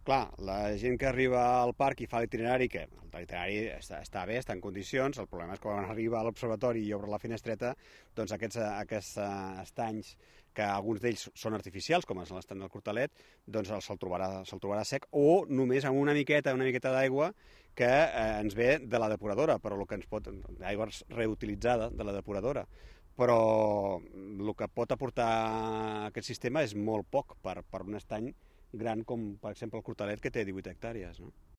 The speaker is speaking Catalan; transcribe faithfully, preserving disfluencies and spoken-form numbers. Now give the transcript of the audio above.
Clar, la gent que arriba al parc i fa l'itinerari, que l'itinerari està, està bé, està en condicions, el problema és que quan arriba a l'observatori i obre la finestreta, doncs aquests, aquests estanys, que alguns d'ells són artificials, com és l'estany del Cortalet, doncs se'l trobarà, se'l trobarà sec, o només amb una miqueta, una miqueta d'aigua que eh, ens ve de la depuradora, però el que ens pot, d'aigua reutilitzada de la depuradora. Però el que pot aportar aquest sistema és molt poc per, per un estany gran com, per exemple, el Cortalet, que té divuit hectàrees, no?